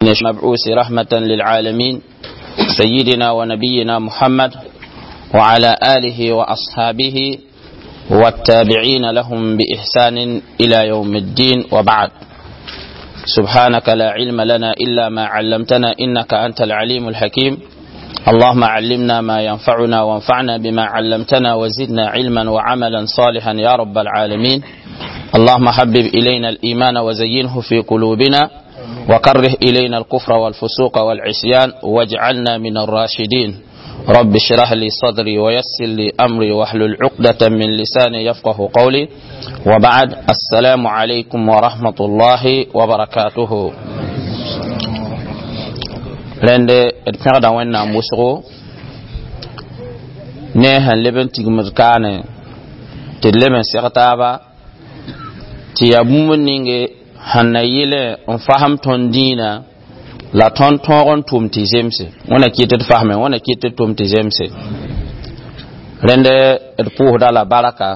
المبعوث رحمة للعالمين سيدنا ونبينا محمد وعلى آله وأصحابه والتابعين لهم بإحسان إلى يوم الدين وبعد. سبحانك لا علم لنا إلا ما علمتنا إنك أنت العليم الحكيم. اللهم علمنا ما ينفعنا وانفعنا بما علمتنا وزدنا علما وعملا صالحا يا رب العالمين. اللهم حبب إلينا الإيمان وزينه في قلوبنا وكره إلينا الكفر والفسوق والعصيان واجعلنا من الراشدين. رب اشرح لي صدري ويسر لي أمري واحلل عقدة من لساني يفقه قولي. وبعد، السلام عليكم ورحمة الله وبركاته. Rẽnd d pẽgda Wẽnnaam wʋsgo ne sẽn leb n tigmd kaane tɩ d leb n seg taaba tɩ yaa bũmb ninge sẽn na yɩlẽ n fasem tõnd dĩinã la tõnd tõog n tʋm tɩ zemse. Wẽna kɩt d fasme, wẽna kɩt d tʋm tɩ zemse. Rẽnd d pʋʋsda la baraka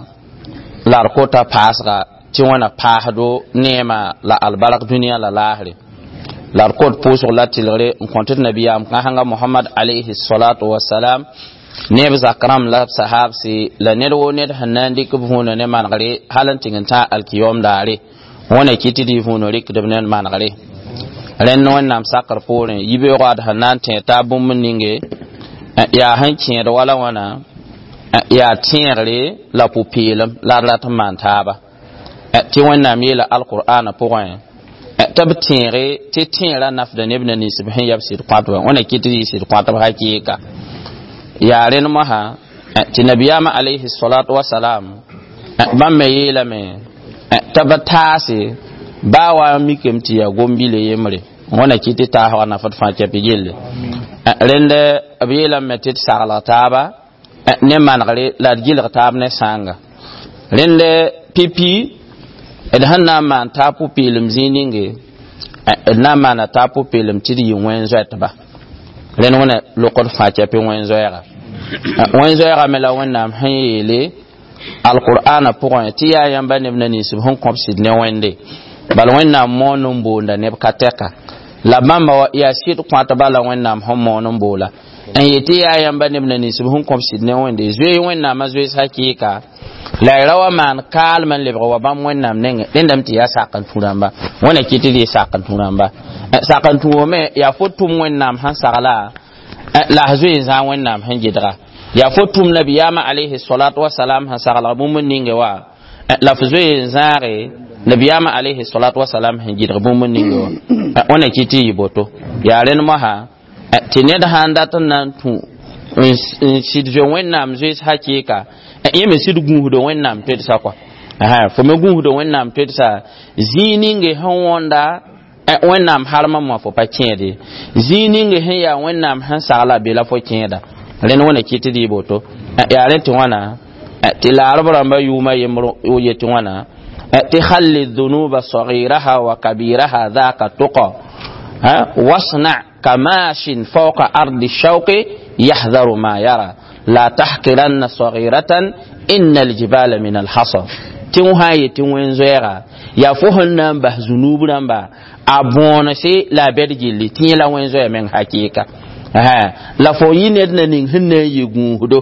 la d kota paasga tɩ wẽna paasdo neema la albark dũniyã la laasre, la d kot pʋʋsg la tɩlgre n kõt d nabiyaam kãsenga Mohamad alayhi salatu wasalam, neb zak rãmb la b sahabse la ned woo ned sẽn na n dɩk b vũuna ne manegre hal n tɩng n tã alkiyom daare. Wẽna kɩt tɩ d vũuna rɩkdb ne manegre. Rẽnd Wẽnnaam sakr poorẽ yibeoog ad sẽn na n tẽ taab bũmb ninge yaa sẽn kẽed wala wãna yaa tẽegre la pʋ-peelem la d rat n maan taaba tɩ Wẽnnaam yeela alqur'ana pʋgẽ tɩ b tẽege tɩ tẽera nafda neb na nins b sẽn yab sɩd kõatba. Wẽna kɩt tɩ yɩ sɩd kõatb hakɩɩka. Yaa rẽnd mosã tɩ nabiyaamã alayhi salatu wasalam bãmb me yeelame tɩ b taase baa wa n mikame tɩ yaa gom-bile yembre. Wẽna kɩt tɩ taasga nafd fãa kɛpɩ gelle. Rẽnd b yeelame tɩ d saglg taaba ne manegre la d gilg taab ne sãanga. Rẽnd pipi d sẽn na n maan taab pʋ-peelem zĩig ninge, d na n maana taab pʋ-peelem tɩ d yɩ wẽn-zoɛtba. Rẽnd wẽna lokd fãa kɛpɩ wẽn-zoɛɛga. Wẽn-zoɛɛga me la Wẽnnaam sẽn yeele alqur'ana pʋgẽ tɩ yaa yãmba neb na ninsb sẽn kõb sɩd ne Wẽnde, bala Wẽnnaam moon n boonda neb ka tɛka la bãmba wa yaa sɩd kõatba la Wẽnnaam sẽn moon n boola n yetɩ yaa yãmba neb na ninsb sẽn kõb sɩd ne Wẽnde, zoe Wẽnnaamã zoees hakɩɩka la y ra wa maan kaalem n lebg wa bãmb Wẽnnaam nengẽ. Rẽndame tɩ yaa sak n tũ rãmba. Wẽna kɩt tɩ d yɩ sak n tũ rãmba. Sak n tũ wame yaa fo tʋm Wẽnnaam sẽn sagla la f zoe n zãag Wẽnnaam sẽn gɩdga, yaa fo tʋm nabiyaamã alayhi salatu wasalam sẽn saglg bũmb ninge wa la f zoe n zãage nabiyaamã alayhi salatu wasalam sẽn gɩdg bũmb ninge wa. Wẽna kɩt tɩ yɩ boto. Yaa rẽnd mosã tɩ ned sãn dat n na n tũ n sɩd zoe Wẽnnaam zoees hakɩɩka, yẽ me sɩd gũusdo Wẽnnaam toedsa kɔa. Fo me gũusdo Wẽnnaam toedsa zĩig ninge sẽn wõnda Wẽnnaam harmã wã fo pa kẽede, zĩig ninge sẽn yaa Wẽnnaam sẽn sagla be la fo kẽeda. Rẽnd wẽna kɩt tɩ d yɩ boto. Yaa rẽ tɩ wãna tɩ laarb rãmba yʋʋma yembr yetɩ wãna tɩ halli dhunuba sagiraha wa kabiraha dhaka tuqa wasna kamashin fawqa ardi shawqi yahdharu ma yara la tahqiranna saghiratan inna aljibala min alhasa. Tɩ wã yetɩ wẽn-zoɛɛga yaa fo sẽn na n bas zunub rãmba a bõonse la a bɛd gilli tɩ yẽ la wẽn-zoɛɛ meng hakɩɩka la fo yɩ ned na ning sẽn na n yɩ gũusdo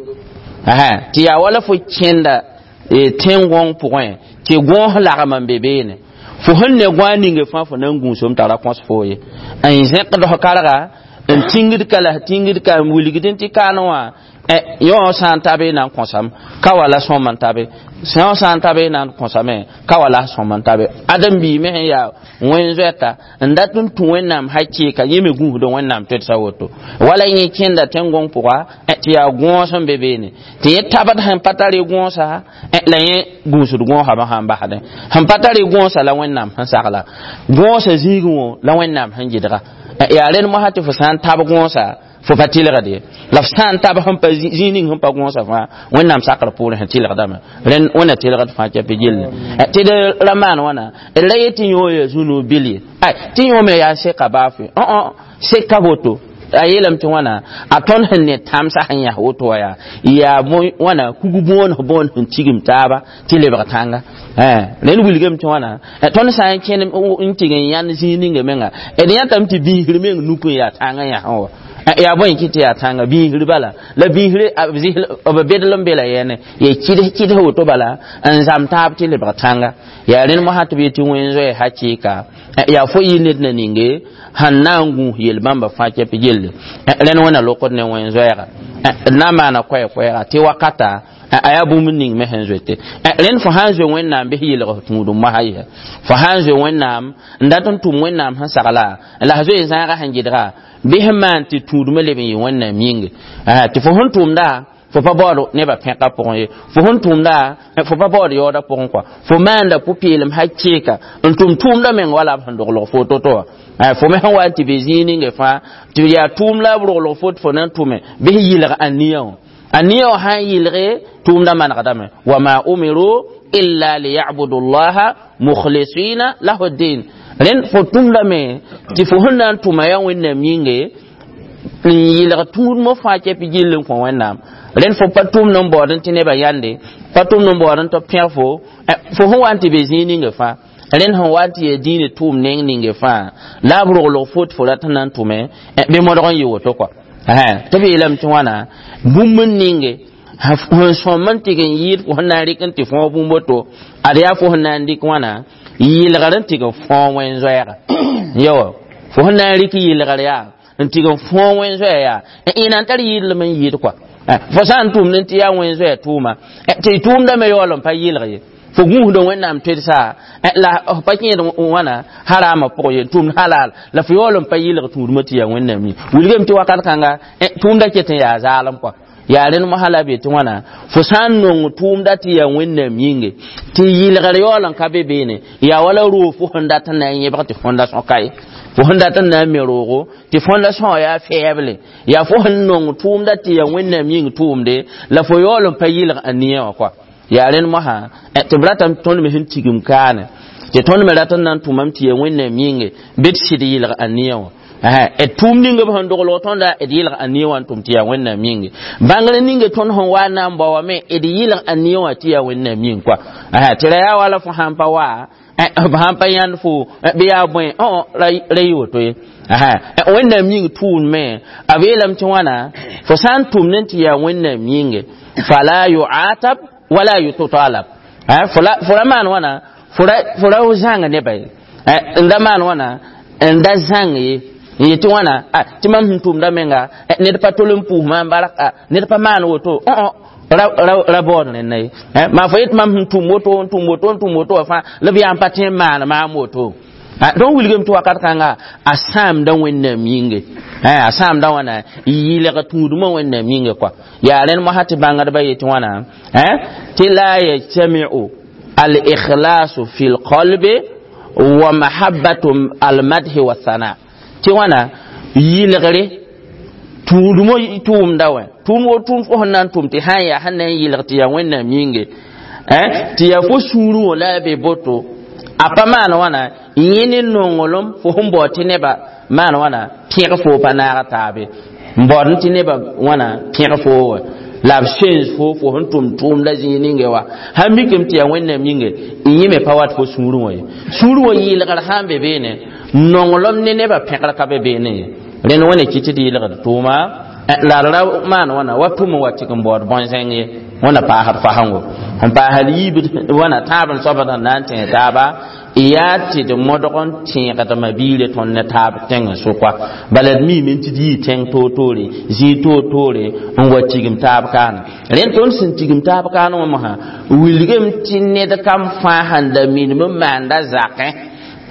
tɩ yaa wala fo kẽnda tẽn-gõng pʋgẽ tɩ gõos lagm n be beene, fo sẽn ne gõa ninge fãa fo na n gũusom tara kõs foo ye n zẽkd f karga n tingd ka la tingd ka n wilgd tɩ kaan wã yõ sã n ta be na n kõsam ka wala sõm n ta be, yõ sã n ta be na n kõsame ka wala sõm n ta be. Ãdem-biig me sẽn yaa wẽn-zoɛta n dat n tũ Wẽnnaam hakɩɩka, yẽ me gũusd Wẽnnaam toedsa woto wala yẽ kẽnda tẽn-gõng pʋga tɩ yaa gõos n be beene tɩ yẽ tabd sẽn pa tare gõosa la yẽ gũusd gõosame sãn basdẽ sẽn pa tare gõosa la Wẽnnaam sẽn sagla gõosa zĩigẽ wã la Wẽnnaam sẽn gɩdga. Yaa rẽnd mosã tɩ fo sã n tab gõosa fo pa tɩlgd ye, la f sã n tab sẽn pa zĩig ning sẽn pa gõosa fãa Wẽnnaam sakr poorẽ sẽn tɩlgdame. Rẽnd Wẽnna tɩlgd fãa kɛpɩ gilli tɩ d ra maan wãna d ra yetɩ yõ ya zũnu bil ye, ay tɩ yõ me yaa seka baafɩ õ seka boto. A yeelame tɩ wãna a tõnd sẽn ne tãmsã sẽn yãs woto wã yaa wãna kug bõon bõon sẽn tigim taaba tɩ lebg tãnga. Rẽnd wilgame tɩ wãna tõnd sã n kẽn n tɩg n yãnd zĩig ninga menga d yãtame tɩ biisr meng nuk n yaa tãngã yãsẽ wa. Yaa bõe kɩ tɩ yaa tãnga biisr bala la biisr b bedl n be la yɛne ya kɩds kɩds woto bala n zam taab tɩ lebg tãnga. Yaa rẽnd mosã tɩ b yetɩ wẽn-zoɛɛ hakɩɩka yaa fo yɩ ned na ninge sẽn na n gũus yel-bãmba fãa kɛp gelle. Rẽnd wẽna lokd ne wẽn-zoɛɛga d na n maana koɛɛ-koɛɛga tɩ wakata a yaa bũmb ning me sẽn zoete. Rẽnd fo sã n zoe Wẽnnaam bɩ yelg tũudum mosã yɩsa fo sã n zoe Wẽnnaam n dat n tʋm Wẽnnaam sẽn sagla la s zoe zãagã sẽn gɩdga bɩ sẽn maan tɩ tũudmã leb n yɩ Wẽnnaam yĩnge tɩ fo sẽn tʋmda fo pa baood nebã pẽka pʋgẽ ye, fo sẽn tʋmda fo pa baood yaooda pʋgẽ kɔa, fo maanda pʋ-peelem hakɩɩka n tʋm tʋʋmda meng wala b sẽn doglg fo to-to wã. Fo me sẽn wa n tɩ be zĩig ninge fãa tɩ yaa tʋʋm la b roglg fo tɩ fo na n tʋme bɩ sẽn yɩlg a nia wã, a nia wã sã n yɩlge tʋʋmda manegdame. Wama umiru illa liyabudu llaha mukhlisina lahu ddin. Rẽnd fo tʋmdame tɩ fo sẽn na n tʋma yaa Wẽnnaam yĩnge n yɩlg tũudmã fãa kɛp gill n kõ Wẽnnaam. Rẽnd fo pa tʋmd n baood tɩ nebã yãnde, pa tʋmd n baood tɩ b pẽg fo fo sẽn wa n tɩ be zĩig ninge fãa. Rẽnd sẽn wa n tɩ yaa dĩinã tʋʋm neng ninge fãa la b roglg fo tɩ fo rat n na n tʋme bɩ modg n yɩ woto kɔa. Tɩ b yeelame tɩ wãna bũmb n ninge sẽn sõm n tɩg n yɩɩd fo sẽn na n rɩk n tɩ fõog bũmb woto ad yaa fo sẽn na n dɩk wãna yɩlgr n tɩg n fõog wẽn-zoɛɛga. Yawa fo sẽn na n rɩk yɩlgr yaa n tɩg n fõog wẽn-zoɛɛ yaa ẽna n tar yɩɩdlem n yɩɩd kɔa. Fo sã n tʋmd n tɩ yaa wẽn-zoɛɛ tʋʋma tɩ tʋʋmdame yaool n pa yɩlg ye, fo gũusd Wẽnnaam toedsa la f pa kẽed wãna harama pʋgẽ ye, tʋmd halal la fo yaool n pa yɩlg tũudmã tɩ yaa Wẽnnaam yĩng. Wilgame tɩ wakat kãnga tʋʋmda ket n yaa zaalem kɔa. Yaa rẽnd mosã la b yetɩ wãna fo sã n nong tʋʋmda tɩ yaa Wẽnnaam yĩnge tɩ yɩlgr yaool n ka be beene yaa wala roog fo sẽn dat n na n yẽbg tɩ fondation ka ye, fo sẽn dat n na n me roogo tɩ fondation wã yaa fɛɛble yaa fo sẽn nong tʋʋmda tɩ yaa Wẽnnaam yĩng tʋʋmde la fo yaool n pa yɩlg a nia wã kɔa. Yaa rẽnd mosã tɩ b ratame tõnd me sẽn tigim kaane tɩ tõnd me rat n na n tʋmame tɩ yaa Wẽnnaam yĩnge bɩ d sɩd yɩlg a nia wã. D tʋʋm ning b sẽn doglg tõnda d yɩlg a nia wã n tʋm tɩ yaa Wẽnnaam yĩnge. Bãngr ninge tõnd sẽn wa n na n bao wame d yɩlg a nia wã tɩ yaa Wẽnnaam yĩng kɔa. Tɩ ra yaa wala fo sãn pa wa b sãn pa yãnd fo bɩ yaa bõe ra yɩ woto ye. Wẽnnaam yĩng tʋʋm a b yeelame tɩ wãna fo sã n tʋmd n tɩ yaa Wẽnnaam yĩnge fala yuatab wala yutalab. Fo ra maan wãna fo ra zãng nebã ye n da maan wãna n da zãng ye n yetɩ wãna tɩ mam sẽn tʋmda menga ned pa tol n pʋʋs maam barka ned pa maan woto ra baood rẽnna ye. Maa fo yet mam sẽn tʋm woto n tʋm woto n tʋm woto wã fãa la b yaa n pa tõe n maan maam woto. Donc wilgame tɩ wakat kãnga a sãamda Wẽnnaam yĩnge, a sãamda wãna yɩlg tũudmã Wẽnnaam yĩnge kɔa. Yaa rẽnd mosã tɩ bãngdbã yetɩ wãna tɩ la yajtamiu al-ikhlasu fi lqalbi wa mahabbatu almadhi wa thana tɩ wãna yɩlgre tũudmã tʋʋmda wã tʋʋm wo tʋʋm fo sẽn na n tʋm tɩ sã n yaa sẽn na n yɩlg tɩ yaa Wẽnnaam yĩnge tɩ yaa fo sũurẽ wã la a be boto a pa maan wãna yẽ ne nonglem fo sẽn baood tɩ nebã maan wãna pẽg fo pa naag taabe n baood tɩ nebã wãna pẽg fo wã la b sens fo fo sẽn tʋm tʋʋmda zĩig ninge wã sãn mikame tɩ yaa Wẽnnaam yĩnge yẽ me pa wat fo sũurẽ wã ye. Sũurẽ wã yɩlgr sã n be beene nonglem ne nebã pẽgr ka be beene ye. Rẽnd wẽne kɩ tɩ d yɩlgd tʋʋma la d ra maan wãna wa tʋm n wa tɩg n baood bõn-zẽng ye wãna paasd fasengo n paasd yiibd wãna tãab n soabd sẽn na n tẽeg taaba yaa tɩ d modg n tẽegdmã biire tõnd ne taab tẽng n sʋka bala d miime tɩ d yii tẽng toor-toore zĩig toor-toore n wa tigim taab kaana. Rẽnd tõnd sẽn tigim taab kaan wã mosã wilgame tɩ ned kam fãa sẽn da minim n maanda zakẽ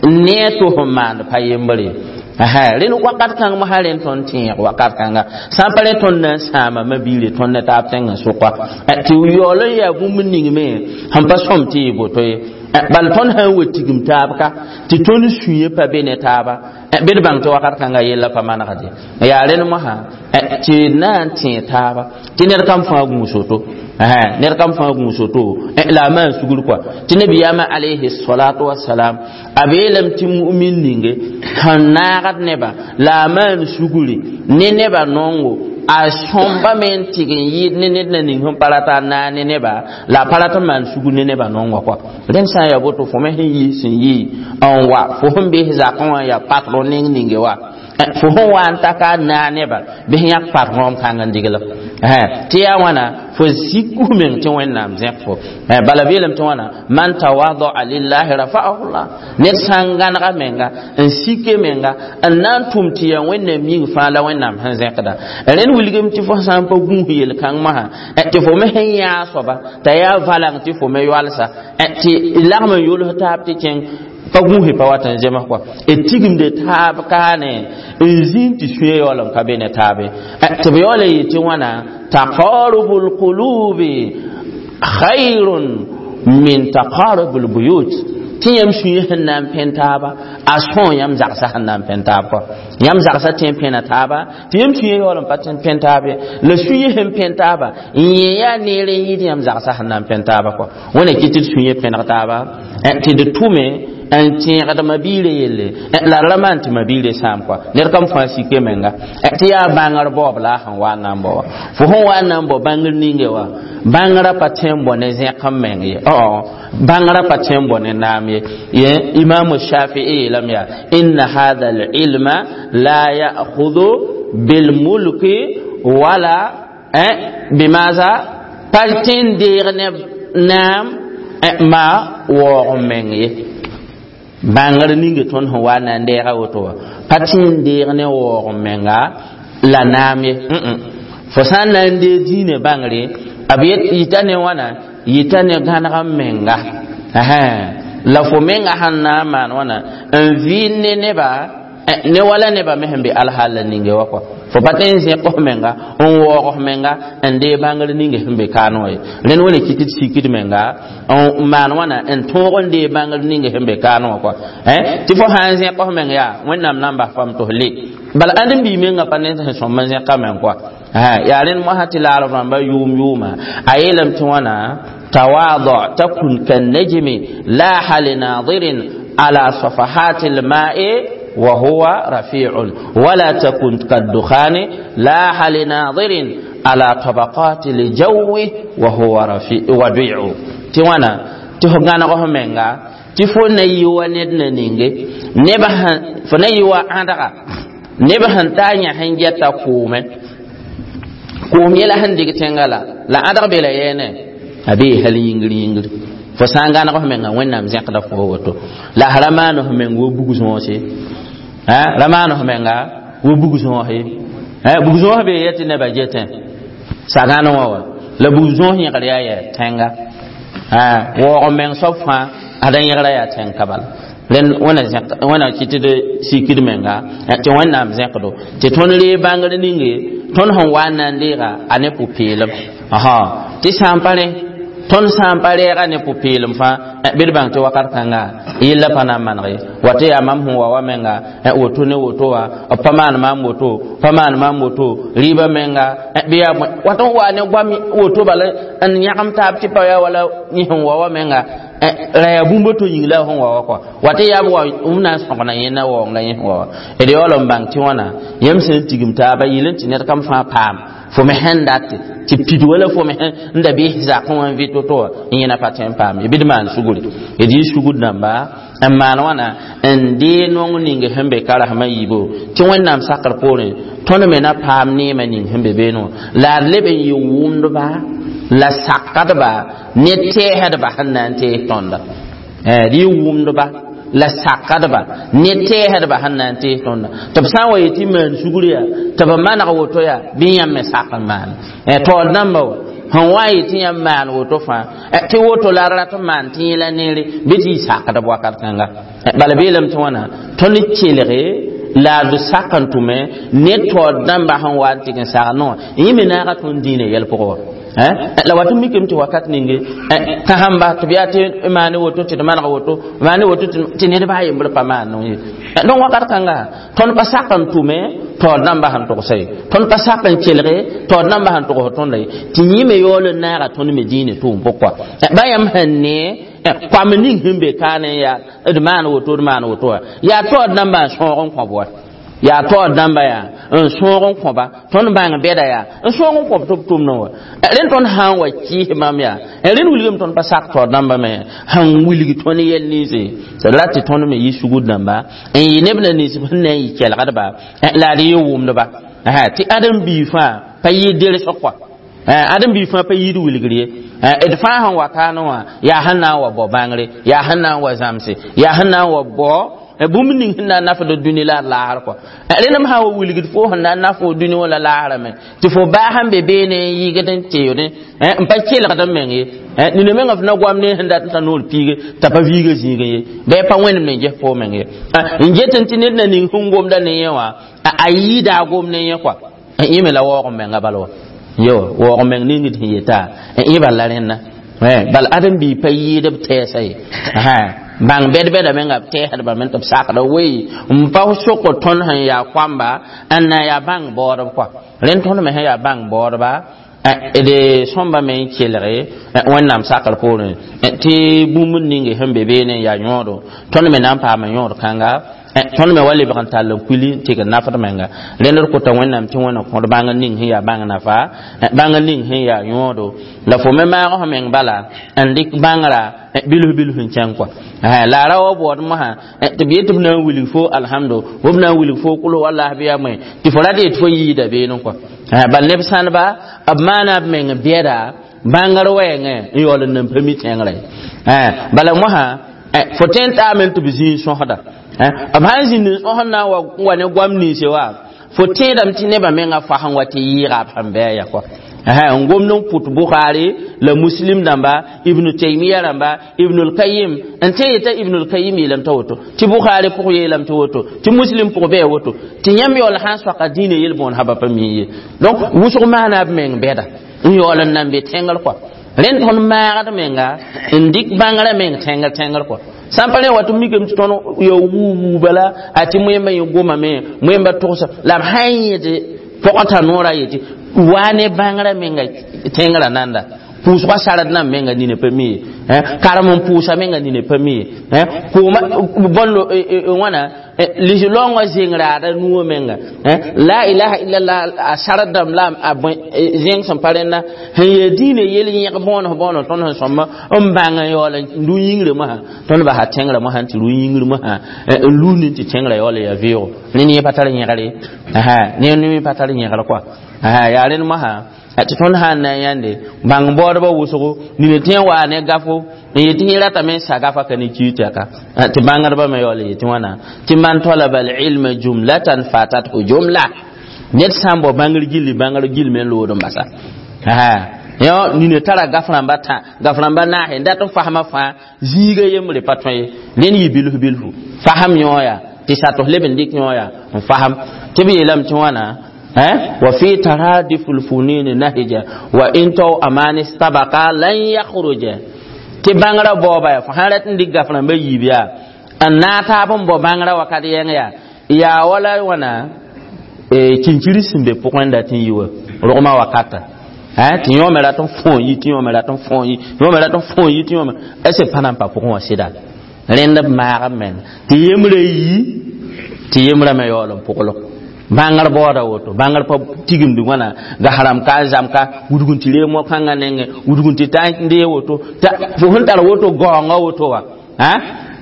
ne a to sẽn maand pa yembre ye. Rẽnd wakat kãng mosã rẽnd tõnd tẽeg wakat kãnga sã n pa rẽ tõnd na n sãama ma biire tõnd ne taab tẽng n sʋka tɩ yaool n yaa bũmb ningme sẽn pa sõm tɩ yɩ boto ye. Bala tõnd sã n wa tigim taab ka tɩ tõnd sũyẽ pa be ne taaba bɩ d bãng tɩ wakat kãnga yella pa manegde yaa rẽnd mosã tɩ na n tẽeg taaba tɩ ned kam fãa gũus woto. Ned kam fãa gũus woto la a maan sugr kɔa tɩ nabiyaamã alayhi salatu wasalam a beelame tɩ mu'min ninge sẽn naagd nebã la a maan sugri ne nebã nongo a sõmba me n tɩg n yɩɩd ne ned na ning sẽn pa rata n naag ne nebã la a pa rat n maan sugr ne nebã nongã kɔa rẽnd sã n yaa boto fo me sẽn yiis sẽn yi n wa fo sẽn bes zakẽ wã n yaa patron neng ninge wa fo sẽn wa n ta ka naag nebã bɩ sẽn yãk patron kãng n diglem tɩ yaa wãna fo sik f meng tɩ Wẽnnaam zẽk fo bala beelame tɩ wãna man tawadaa lillahi rafa'ahu llah ned sã n gãnega menga n sike menga n na n tʋm tɩ yaa Wẽnnaam yĩng fãa la Wẽnnaam sẽn zẽkda rẽnd wilgame tɩ fo sã n pa gũus yel-kãng masã tɩ fo me sẽn yãa soaba t'a yaa valãng tɩ fo me yoalsa tɩ lagm n yols taab tɩ kẽng pa gũuse pa wat n zems kɔa d tigimde taab kaane n zĩnd tɩ sũyã yaool n ka be ne taabe tɩ b yaool n yetɩ tɩ wãna taqarubu lqulubi khayrun min taqarubu lbuyut tɩ yãmb sũyã sẽn na n pẽn taaba a sõo yãmb zagsã sẽn na n pẽn taab kɔa yãmb zagsã tẽ n pẽna taaba tɩ yãmb sũyã yaool n pa tẽ n pẽn taab ye la sũyã sẽn pẽn taaba n yẽ yaa neer n yɩɩd yãmb zagsã sẽn na n pẽn taaba kɔa wẽna kɩ tɩ d sũyã pẽneg taaba tɩ d tʋme n tẽegd mabiirã yelle la d ra maan tɩ mabiirã sãam kɔa ned kam fãa sike menga tɩ yaa bãngr baoob la a sẽn wa n na n bao wa fo sẽn wa n na n bao bãngr ninge wa bãngrã pa tõe n bao ne zẽk n meng ye bãngrã pa tõe n bao ne naam ye imaamu shafii yeelame yaa inna hadha alilma la ya'khudhu bilmulki wala bimaza pa tõe n deeg ne naam ma waoog n meng ye bãngr ninge tõnd sẽn wa na n deega woto wã pa tẽ n deeg ne waoog n menga la naam ye fo sã n na n deeg dĩinã bãngre b yita ne wãna yita ne gãneg n menga la fo menga sẽn na n maan wãna n vɩɩnd ne neba ne wala neba me sẽn be alhaal la ninge wa kɔa fo pa tõe n zẽk f menga n waoog f menga n deeg bãngr ninge sẽn be kaane wã ye rẽnd wẽna kɩ tɩ d sikd menga n maan wãna n tõog n deeg bãngr ninge sẽn be kaane wã kɔa tɩ fo sã n zẽk f meng yaa Wẽnnaam na n bas fam tɩ f le bala ãnd n bii menga pa ne sẽn sõm n zẽka meng kɔa yaa rẽnd mosã tɩ laarb rãmba yʋʋm yʋʋma a yeelame tɩ wãna tawaada takun kannajmi laaha linadirin ala safahati lma'i وهو رفيع ولا تكن كالدخان لاح لناظر على طبقات الجو وهو رفيع وديع توانا تهغانا غهمنغا تفو نيوا ند نينغي نبا فنيوا عندها نبا هنتانيا هنجتا كومه koom yɛla sẽn dig tẽnga la ãdg be la yɛɛne a bee hal yĩngr yĩngr fo sã n gãneg f menga Wẽnnaam zẽkda fo woto la ra maan f meng wo bug sõose ra maan f menga wo bug sõose bug sõos bee yɛ tɩ nebã getẽ sagãn wã wa la bug sõos yẽgr yaa yɛ tẽnga waoog n meng soab fãa ad n yẽgra yaa tẽng ka bala rẽnd wẽna kɩ tɩ d sikd menga tɩ Wẽnnaam zẽkdo tɩ tõnd ree bãngr ninge tõnd sẽn wa n na n deega a ne pʋ-peelem tɩ sã n pa rẽ tõnd sã n pa reega ne pʋ-peelem fãa bɩ d bãng tɩ wakat kãnga yella pa na n maneg ye wa tɩ yaa mam sẽn wa wa menga woto ne woto wa b pa maan maam woto pa maan maam woto rɩɩbã menga bɩ yaa wat n wa ne goam woto bala n yãgem taab tɩ pa yaa wala yẽ sẽn wa wa menga ra yaa bũmb to yĩng la sẽn wa wa kɔa wa tɩ yaa b wa b na n sõgna yẽnda waoong la yẽ sẽn wa wa d yaool n bãng tɩ wãna yãmb sẽn tigim taaba yɩl n tɩ ned kam fãa paam fo me sẽn date tɩ pid wala fo me sẽn da bɩ zakẽ wã n vɩ to-to wã n yẽna pa tõe n paam ye bɩ d maan sugri d yɩ sugr dãmba n maan wãna n dee nong ning sẽn be karasmã yiibo tɩ Wẽnnaam sakr poorẽ tõnd me na paam neemã ning sẽn be beene wã la d leb n yɩ wʋmdba la sakdba ne tɛɛsdba sẽn na n tees tõnda d yɩ wʋmdba la sakdba ne tɛɛsdba sẽn na n tees tõnda tɩ b sã n wa yetɩ maan sugr yaa tɩ b maneg woto yaa bɩ yãmb me sak n maane taoor dãmba wa sẽn wa n yetɩ yãmb maan woto fãa tɩ woto la d rat n maan tɩ yẽ la neere bɩ tɩ yɩ sakdb wakat kãnga bala beelame tɩ wãna tõnd kelge la d sak n tʋme ne taoor dãmba sẽn wa n tɩg n sagd wã yẽ me naaga tõnd dĩinã yɛl pʋgẽ wa. La wat mikem tɩ wakat ninge kãsẽmba tɩ b yaa tɩ maane woto tɩ d maneg woto maane woto tɩ ned baa yembr pa maan ye. Donc wakat kãnga tõnd pa sak n tʋme taood namba sẽn togsa ye, tõnd pa sak n kelge taood namba sẽn togs tõnda ye, tɩ yẽ me yaool n naaga tõnd me dĩinã tʋʋm pʋgkɔa. Ba yãmb sẽn ne koam ning sẽn be kaane yaa d maan woto d maan woto wã yaa taood namba n sõog n kõ wa, yaa taood namba yaa n sõog n kõba tõnd bãng bɛda yaa n sõog n kõb tɩ b tʋmdẽ wa. Rẽnd tõnd sã n wa kɩɩs bãmb yaa rẽnd wilgame tõnd pa sak taood namba me sẽn wilg tõnd yɛl ninse la tɩ tõnd me yɩ sugr dãmba n yɩ neb na nins sẽn na n yɩ kelgdba la d yɩ wʋmdba tɩ ãdem-biig fãa pa yɩ ders kɔa, ãdem-biig fãa pa yɩɩd wilgr ye. D fãa sẽn wa kaanẽ wã yaa sẽn na n wa bao bãngre, yaa sẽn na n wa zãmse, yaa sẽn na n wa bao bũmb ning sẽn na n nafd dũni la d laasr kɔa. Rẽnd m sã n wa wilgd fo sẽn na n naf fo dũni wã la laasrã me tɩ fo baa sẽn be beene n yɩgd n teoodẽ n pa kelgd n meng ye. Nina menga f na goam ne sẽn dat n ta noor piige t'a pa viiga zĩigẽ ye, bɩ pa wẽnem ne n ges fo meng ye. N get n tɩ ned na ning sẽn gomda ne yẽ wã a yɩɩda a gom ne yẽ kɔa. Yẽ me la waoog n menga bala wa yo waoog n meng ningd sẽn yeta yẽ bal la rẽnna bal ãdem-biig pa yɩɩd b tɛɛsa ye. Bãng bɛd-bɛda menga b tɛɛsdba me tɩ b sakda wei n pa soko tõnd sẽn yaa koamba n na yaa bãng baoodb kɔa. Rẽnd tõnd me sẽn yaa bãng baoodba d sõmba me n kelge Wẽnnaam sakr poorẽ tɩ bũmb ninge sẽn be beene n yaa yõodo tõnd me na n paama yõod kãnga, tõnd me wa lebg n tall n kuili n tɩg n nafd menga. Rẽnd d kota Wẽnnaam tɩ Wẽnna kõd bãng ning sẽn yaa bãng nafa, bãng ning sẽn yaa yõodo la fo me maag f meng bala n dɩk bãngrã bilf bilf n kẽng kɔa. La a ra wa baood mosã tɩ b yet tɩ b na n wilg fo alhamdo b na n wilg fo kʋls wallas bɩ yaa moe tɩ fo rat yet fo yiida beene kɔa. Bal neb sãnba b maana b meng bɛda bãngr wɛɛngẽ n yaool n nan pa mi tẽngrã ye. Bala mosã fo tõe n taame tɩ b zĩig sõsda b sãn zĩnd n sõsd na n wa ne goam ninse wa fo tẽedame tɩ nebã mengã fas n wa tɩ yɩɩga b sẽn bɩ a ya kɔa. N gomd n pʋt Bukhari la Muslim dãmba, Ibnu Taymiya rãmba, Ibnul Kayim n tẽ yeta Ibnul Kayim yeelame t'a woto tɩ Bukhari pʋg yeelame tɩ woto tɩ Muslim pʋg bɩ a woto tɩ yãmb yaool sã n soaka dĩinã yel-bõon sã ba pa mi ye. Donc wʋsg maana b meng bɛda n yaool n nan be tẽngr kɔa. Rẽnd tõnd maagd menga n dɩk bãngrã meng tẽngr tẽngr kɔa. Sã n pa rẽ wa tɩ mikame tɩ tõnd ya wuu wuu bala a tɩ moẽmba yẽ gomame moẽmba togsa la b sã n yẽd pɔgã t'a noorã yetɩ waa ne bãngrã menga tẽngrã nanda pʋʋsgã sard nan menga nina pa mi ye, karem n pʋʋsa menga nina pa mi ye, kʋʋma bõndo wãna lis-laoongã zẽng-raada nuwã menga la ilaha illallah a sard dãmb la a zẽng sẽn pa rẽnda sẽn yaa dĩinã yel yẽg bõones bõones tõnd sẽn sõmba n bãng n yaool n rũ yĩngrã mosã tõnd basa tẽngrã mosã tɩ rũ yĩngr mosã n lund tɩ tẽngrã yaool n yaa vɩʋʋgo ne yẽ pa tar yẽgre, ne yẽ pa tar yẽgr kɔa. Yaa rẽnd mosã tɩ tõnd sã n na n yãnde bãng baoodbã wʋsgo nina tẽ n waa ne gafo n yetɩ yẽ ratame n sa gafa ka ne kiig tɛka tɩ bãngdbã me yaool n yetɩ wãna tɩ man talaba alilma jumlatan fatathu jumla ned sã n bao bãngr gilli bãngr gill me n lood n basa. Yõ nina tara gaf rãmba tã gaf rãmba naase n dat n fasmã fãa zĩiga yembre pa tõe ye rẽnd yɩ bilf bilfu fasem yõo yaa tɩ satos leb n dɩk yõo yaa n fasem tɩ b yeelame tɩ wãna وفي ترادف الفنون نهجا وإن تو أمان استبقى لن يخرج tɩ bãngrã baooba yaa fo sã rat n dɩk gaf rãmba yiib yaa n naag taab n bao bãngrã wakat yẽng yaa yaa wala wãna kinkir sẽn be pʋgẽ dat n yi wa rogmã wakata tɩ yõome rat n fõ yi tɩ yõome rat n fõ yi yõome rat n fõ yi tɩ yõome est pa na n pa pʋgẽ wã sɩda rẽnd b maag b meng tɩ yembrã yi tɩ yembrã me yaool n pʋgl bãngr baooda woto bãngr pa tigimd wãna gasrãmb ka zãm ka wudg n tɩ reeg mo-kãngã nengẽ wudg n tɩ ta n dee woto fo sẽn tar woto gaoongã woto wã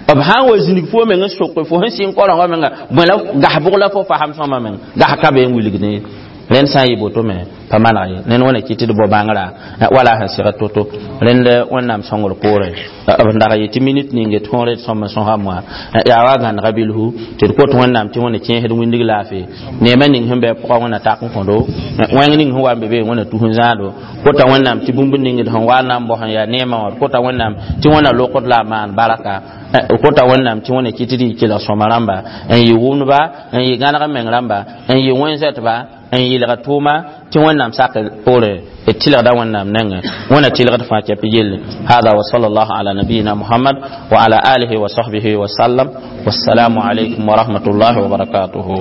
b sã n wa zĩnig fo meng n soke fo sẽn sɩng korengã menga bõe la gas bʋg la fo fasem sõma meng gas ka be n wilgd ye. Rẽnd sã n yɩ boto me pa maneg ye ned wẽna kɩ tɩ d bao bãngrã wala sẽn sɩg to-to rẽnd Wẽnnaam sõngr poorẽ b dag yetɩ minit ninge tõore d sõm n sõsa moa yaa wa gãnega bilfu tɩ d kot Wẽnnaam tɩ Wẽnna kẽesd wĩndg laafɩ neemã ning sẽn bɩ pʋga Wẽnna tak n kõdo wẽng ning sẽn wa n be be Wẽnna tus n zãado kota Wẽnnaam tɩ bũmb ning d sẽn wa n na n bos n yaa neemã wã kota Wẽnnaam tɩ Wẽnna lokd la a maan baraka kota Wẽnnaam tɩ Wẽnna kɩ tɩ d yɩ kelg sõma rãmba n yɩ wʋmdba n yɩ gãneg meng rãmba n yɩ wẽn-zɛtba. N yɩlg tʋʋma tɩ Wẽnnaam sak poorẽ d tɩlgda Wẽnnaam nengẽ. Wẽna tɩlgd fãa kɛp yelle. Hada wa sallallahu ala nabiyina Muhammad wa ala alihi wa sahbihi wa sallam. Wassalamu alaykum wa rahmatullahi wa barakatuhu.